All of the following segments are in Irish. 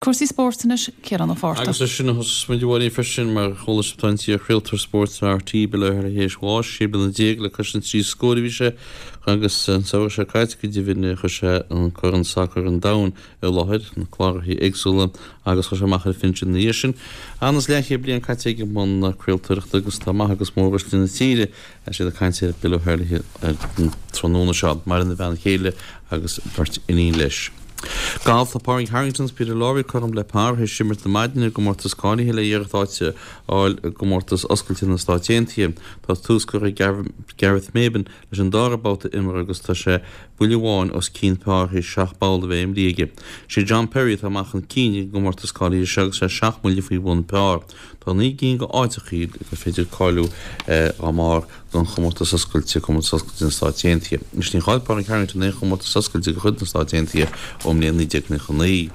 Cúrsaí spóirt anois, Ciarán Ó Fátharta. Agus leis sin a thosós muid a Mháirín freisin, mar chuala sibh tá an t-iar-chraoltóir spóirt ar RTÉ, Bill O'Herlihy théis bháis, 16 bliana le cois an trí scóir a bhí sé agus an samhradh seo caite go deimhin chuir sé an Corn Sacair an Domhain i láthair, na cláracha éagsúla agus chuaigh sé amach ar phinsean ina dhiaidh sin. An is leathchéad bliain caite aige i mbun craoltóireachta agus tá maith agus móruaisle na tíre Tá siad ag caint ar Bill O'Herlihy ar an tráthnóna seo. Maireann a bhean chéile agus beirt iníon leis. Galf, Tá Pádraig Harrington agus Peter Lawrie cothrom le par théis imirt na maidine i gcomórtas cáilithe le iarracht áit a fháil i gcomórtas oscailte na Stáit Aontaithe. Tá tús curtha ag Gareth Maybin leis an dara babhta imeartha agus tá sé buille amháin os cionn par théis seacht bpoll a bheith imrithe aige. Sé John Perry atá amach chun cinn ag an gcomórtas cáilithe seo agus sé seacht mbuille faoi bhun par. Tá 9 gcinn de áiteachaí gur féidir cáiliú dá mbarr don chomórtas oscailte, Comórtas Oscailte na Stáit Aontaithe. Anois níor chaill Pádraig Harrington aon chomórtas oscailte de chuid na Stáit Aontaithe ón mbliain 1999.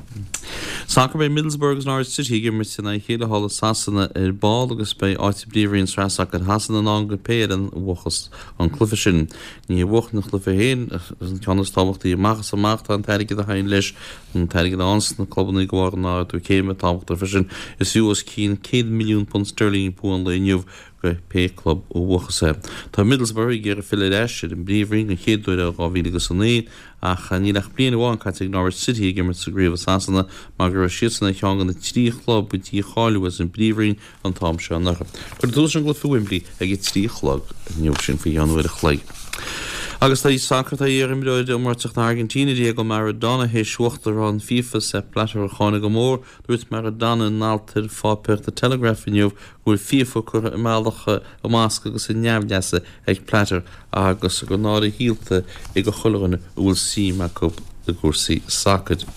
Sacar Beidh Middlesbrough agus Norwich City ag imirt in aghaidh a chéile thall i Sasana ar ball agus beidh áit i bPríomhroinn Sraith Sacair Shasana i ndán do pé fhoireann a bhuafas an cluiche sin. Ní hé buachan an chluiche féin an ceann is tábhachtaí amach is amach, tá an t-airgead a thagann leis An t-airgead a fhaigheanns na clubanna de bharr an ardú céime tábhachtach freisin. Is fiú os cionn £100 milliún sterling bua an lae inniu do pé club a bhuafas é. Tá Middlesbrough ag iarraidh filleadh ar ais ar an bPríomhroinn den chéad uair ó 2009 ach níl ach bliain amháin caite ag Norwich City ag imirt sa gcraobh i Sasana mar go raibh siadsan ar cheann de na trí chlub a dícháiliú as an bPríomhroinn an t-am seo anuraidh. Cuirfear tús leis an gcluiche i Wembley ag a 3 a chlog inniu, sin faoi cheann uair a chloig. Agus tá sacar, tá iar-imreoir iomráiteach na hAirgintíne, Diego Maradona, théis uachtarán FIFA, Sepp Blatter, a cháineadh go mór. Dúirt Maradona in alt ar pháipéar The Telegraph inniu go bhfuil FIFA curtha i mbealach i mbasc agus i neamhleasa ag Blatter agus gur náire shaolta é do chuile dhuine a bhfuil suim acu i gcúrsaí sacair.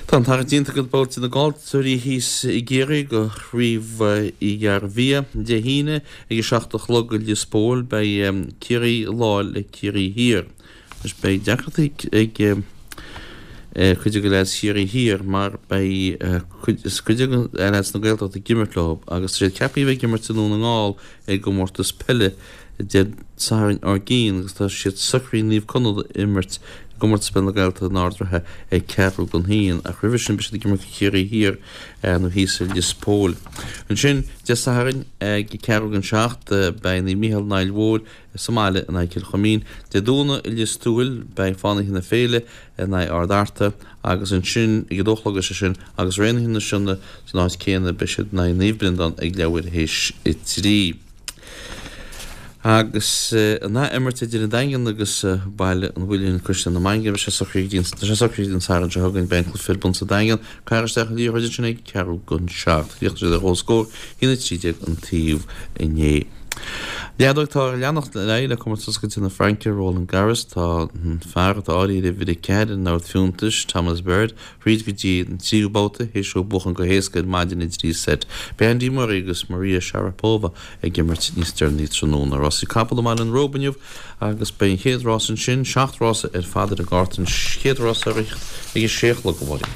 Tá an tarraingt déanta do bhabhta na gcaillteoirí thíos i gCiarraí do Chraobh Uí Ghairbhia. Dé hAoine ag a 7 a chlog i Lios Póil beidh Ciarraí Láir le Ciarraí Thiar. Anois beidh deacrachtaí ag cuid de leaids Chiarraí Thiar mar beidh cuid de leaids na Gaeltachta ag imirt leo agus tá siad ceaptha a bheith ag imirt i nDún na nGall i gcomórtas peile Dé Sathairn ár gcionn agus tá siad socraithe Naomh Conaill a imirt i gComórtas Peile na Gaeltachta in Ard an Rátha ag ceathrú don haon ach roimhe sin beidh siad ag imirt do Chiarraí Thiar nó thíos i Lios Póil. Ansin Dé Sathairn ag ceathrú don seacht beidh Naomh Micheál an Aill Mhóir sa mbaile in aghaidh Cill Chuimín. Dé Domhnaigh i Lios Tuathail beidh Fánaithe na Féile in aghaidh Ard Fhearta agus ansin ag a dó a chlog is é sin agus Raonaithe na Sionna san áit céanna beidh siad in aghaidh Naomh Breandán ag leathuair théis a trí. Agus an ath-imirt idir an Daingean agus Baile an Mhuilinn, Caisleán na Mainge, beidh sé socraithe go dtí an, tá sé socraithe go dtí an Satharn seo chugainn, beidh an cluiche ar bun sa Daingean, caithfear isteach an liathróid ansin ag ceathrú don seacht. Chríochnaigh siad ar chomhscór, 1-13 an taobh inné. Leadóg tá ag leanacht ar aghaidh le Comórtas Oscailte na Fraince, Roland Garros. Tá an fear atá áirithe ar uimhir 4 ar an ord fiúntais, Thomas Berdych, thríd go dtí an tríú babhta, théis dó buachan go héasca ar maidin i dtrí seit. Beidh Andy Murray agus Maria Sharapova ag imirt níos deireanaí tráthnóna. Rásaí capall i mBaile an Róba inniu agus beidh an chéad rás ansin, seacht rása ar fad ar an gcárta, an chéad rás ar ag a sé a chlog a Mháirín.